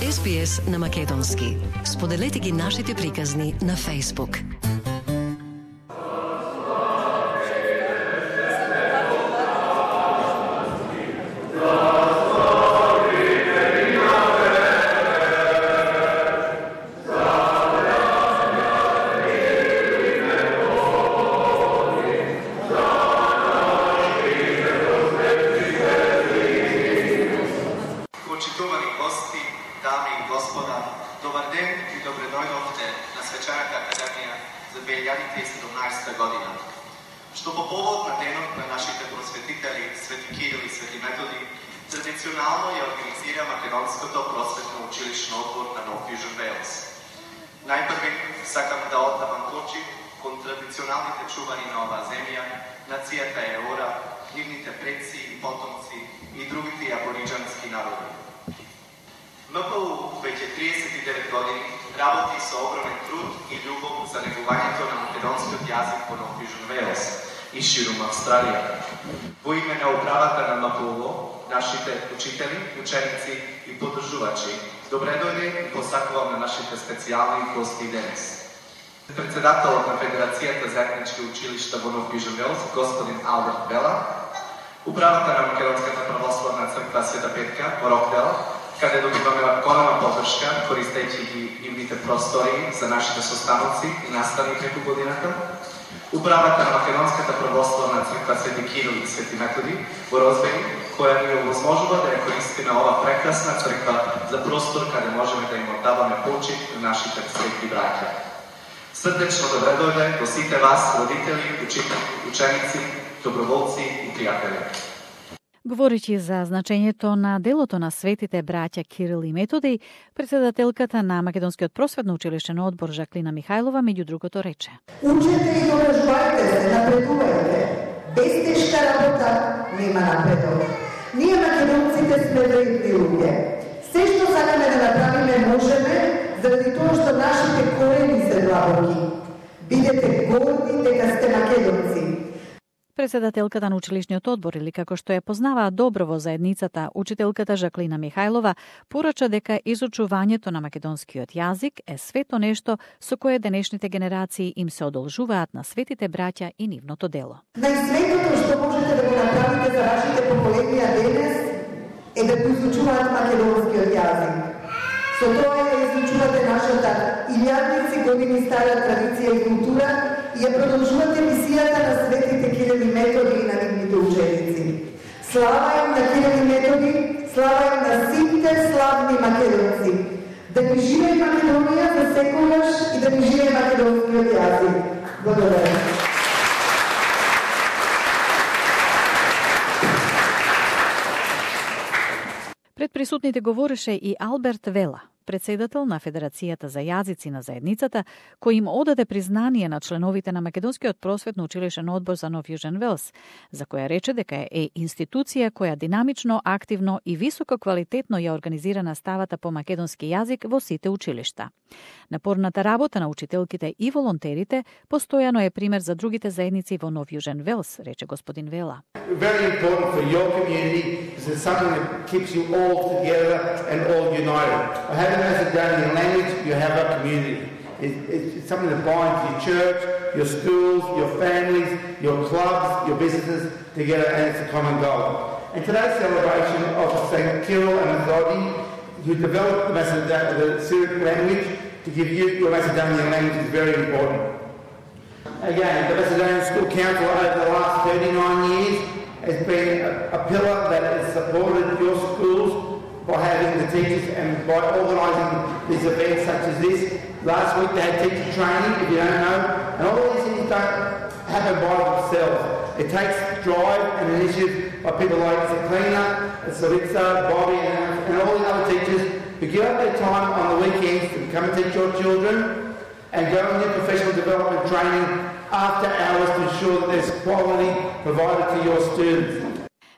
SBS на македонски. Споделете ги нашите приказни на Facebook. година, што по повод на денот на нашите просветители Свети Кирил и Свети Методи, традиционално ја организира Македонското просветно училишно одбор на Нов Южен Велс. Најпрви сакам да оддавам почит кон традиционалните чувари на оваа земја, нацијата Еора, нивните предци и потомци и другите абориџански народи. МПУ веќе 39 години работи со огромен труд и љубов за негувањето на македонскиот јазик во Нов Южен Велс и ширум Австралија. Во име на управата на МПУ, нашите учители, ученици и поддржувачи, добре дојде и посакувам на нашите специјални гости денес. Председателот на Федерацијата за етнички училишта во Нов Южен Велс, господин Алберт Вела, управата на Македонската православна црква Света Петка во Рокдел, каде добиваме голема поддршка, користејќи ги нивните простори за нашите состаноци и наставни преку годината. Управата на Македонската православна црква Свети Кирил и Свети Методи во Розбери, која ни овозможува да ја користиме ова прекрасна црква за простор каде можеме да им оддаваме почит на нашите свети браќа. Срдечно добре дојде до сите вас, родители, учители, ученици, доброволци и пријатели. Говоричи за значењето на делото на светите браќа Кирил и Методи, председателката на Македонскиот просветно училишен одбор Жаклина Михајлова меѓу другото рече: Учете и доражувајте се, напредувајте. Без тешка работа нема напредок. Ние македонците сме вредни луѓе. Се што сакаме да направиме можеме, заради тоа што нашите корени се длабоки. Бидете горди дека сте македонци. Председателката на училишниот одбор, или како што ја познаваа добро во заедницата, учителката Жаклина Михајлова, порача дека изучувањето на македонскиот јазик е свето нешто со кое денешните генерации им се одолжуваат на светите браќа и нивното дело. Најсветото што можете да го направите за вашите поколенија денес е да го изучуваат македонскиот јазик. Со тоа ја изучувате нашата илјадници години стара традиција и култура и ја продолжувате мисијата на светите Кирил и Методи и на нивните ученици. Слава им на Кирил и Методи, слава им на сите славни македонци. Да ни живее Македонија за секогаш и да ни живее македонскиот јазик. Благодарам. Пред присутните говореше и Алберт Вела, председател на Федерацијата за јазици на заедницата, кој им одаде признание на членовите на Македонскиот просветно училишен одбор за Нов Южен Велс, за која рече дека е институција која динамично, активно и високо квалитетно ја организира наставата по македонски јазик во сите училишта. Напорната работа на учителките и волонтерите постојано е пример за другите заедници во Нов Южен Велс, рече господин Вела. Very important for your community is it something that keeps you all together and all united. By having Macedonian language, you have a community. It's something that binds your church, your schools, your families, your clubs, your businesses together, and it's a common goal. And today's celebration of St. Kirill and Methodi, who developed the Syriac language to give you your Macedonian language, is very important. Again, the Macedonian School Council over the last 39 years has been a pillar that has supported your schools by having the teachers and by organising these events such as this. Last week they had teacher training, if you don't know, and all these things don't happen by themselves. It takes drive and initiative by people like Zaklina, Saritsa, Bobby and all the other teachers who give up their time on the weekends to come and teach your children and go and do professional development training after hours to ensure that there's quality provided to your students.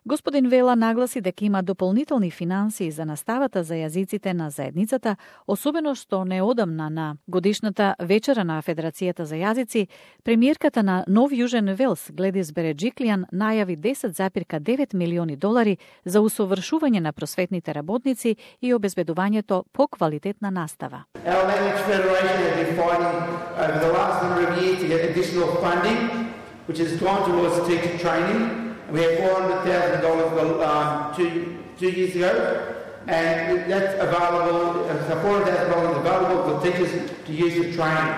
Господин Вела нагласи дека има дополнителни финансии за наставата за јазиците на заедницата, особено што неодамна на годишната вечера на Федерацијата за јазици, премиерката на Нов Јужен Велс, Гледис Береджиклијан, најави $10,9 милиони за усовршување на просветните работници и обезбедувањето поквалитетна настава. Our Language Federation has been fighting over the last number of years to get additional funding, which has gone towards teacher training. We had $400,000 two years ago, and that's available. So $400,000 available for teachers to use for training.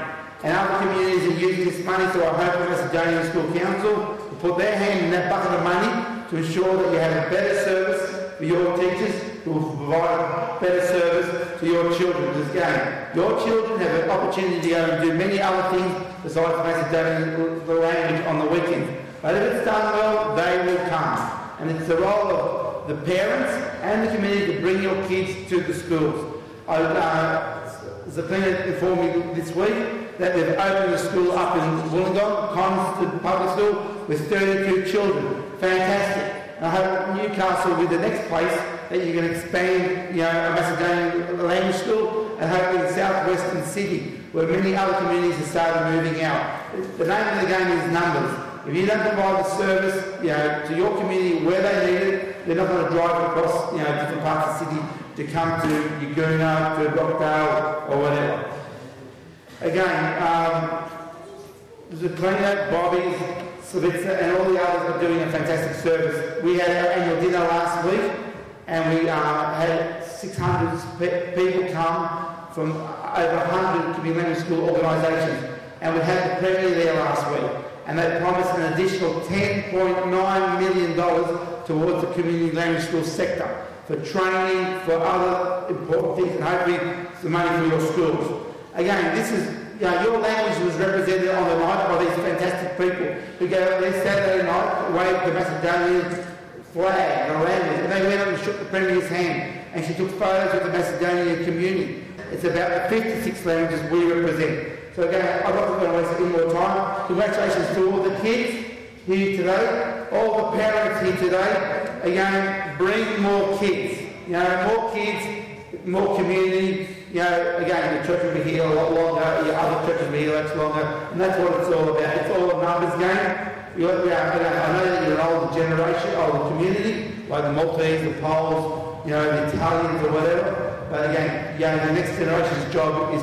And other communities are using this money, so I hope the Macedonian School Council will put their hand in that bucket of money to ensure that you have a better service for your teachers, who will provide better service to your children. Because again, your children have an opportunity to go and do many other things besides Macedonian language on the weekends. But if it's done well, they will come. And it's the role of the parents and the community to bring your kids to the schools. Zaklina informed me this week that they've opened a school up in Wollongong, Coniston Public School, with 32 children. Fantastic. And I hope Newcastle will be the next place that you can expand, a Macedonian language school, and hopefully in southwestern Sydney, where many other communities have started moving out. The name of the game is numbers. If you don't provide the service, to your community where they need it, they're not going to drive across, different parts of the city to come to Yagoona, to Rockdale, or whatever. Again, Zaklina, Bobby, Slavica, and all the others are doing a fantastic service. We had our annual dinner last week, and we had 600 people come from over 100 community language school organisations, and we had the Premier there last week, and they promised an additional $10.9 million towards the community language school sector for training, for other important things, and hopefully some money for your schools. Again, this is, your language was represented on the night by these fantastic people who go out there Saturday night, waved the Macedonian flag, the language, and they went up and shook the Premier's hand, and she took photos with the Macedonian community. It's about the 56 languages we represent. So again, I'm not going to waste any more time. Congratulations to all the kids here today, all the parents here today. Again, bring more kids. More kids, more community. Again, the church will be here a lot longer. Other churches will be here much longer, and that's what it's all about. It's all a numbers game. I know that you're an older generation, older community, like the Maltese, the Poles, the Italians or whatever. But again, the next generation's job is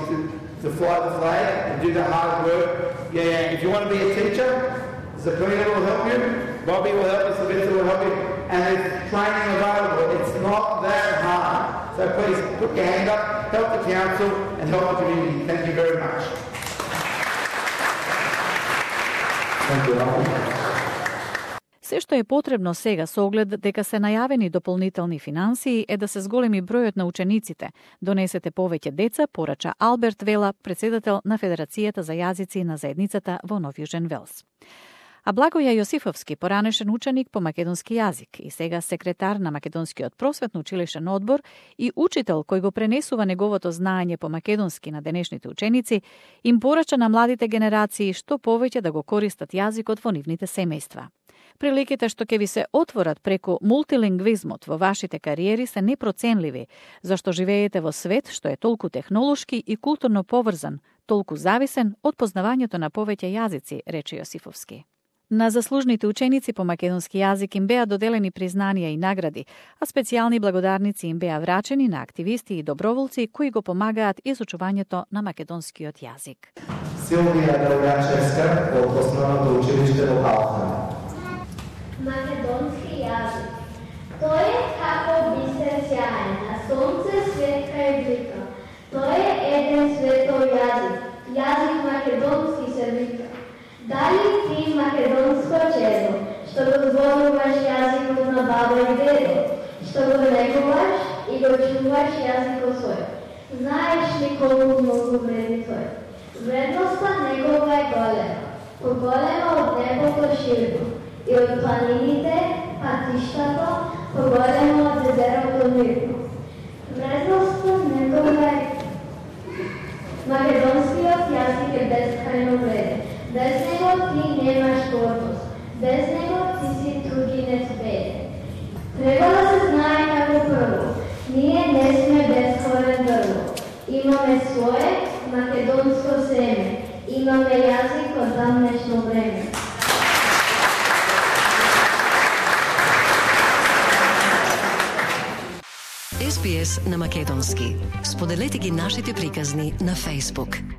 to fly the flag and do the hard work. If you want to be a teacher, Zaklina will help you, Bobby will help you, Slavica will help you, and there's training available. It's not that hard. So please put your hand up, help the council, and help the community. Thank you very much. Thank you. Се што е потребно сега со оглед дека се најавени дополнителни финансии е да се зголеми бројот на учениците, донесете повеќе деца, порача Алберт Вела, председател на Федерацијата за јазици на заедницата во Нов Јужен Велс. А Благоја Јосифовски, поранешен ученик по македонски јазик и сега секретар на Македонскиот просветно училишен одбор и учител кој го пренесува неговото знаење по македонски на денешните ученици, им порача на младите генерации што повеќе да го користат јазикот во нивните семејства. Приликите што ќе ви се отворат преку мултилингвизмот во вашите кариери се непроценливи, зашто живеете во свет што е толку технолошки и културно поврзан, толку зависен од познавањето на повеќе јазици, рече Јосифовски. На заслужните ученици по македонски јазик им беа доделени признанија и награди, а специјални благодарници им беа врачени на активисти и доброволци кои го помагаат изучувањето на македонскиот јазик. Силвија Делгачевска од Основното училиште во Калфан. Македонски јазик. Тој е како бисер сјаен, на сонце светка и блика. Тој е еден светов јазик. Јазик македонски се вика. Дали ти македонско чедо, што го зборуваш јазикот на баба и дедо, што го негуваш и го чуваш јазикот свој. Знаеш ли колку многу вреди тој? Вредноста негова е голема, поголема од небото широко, и од планините, патиштата, поголема од езерото мирно. Вредноста негова е македонскиот јазик е безкрајно вреден. Без него ти немаш гордост, без него ти си другинец беден. на македонски. Споделете ги нашите приказни на Facebook.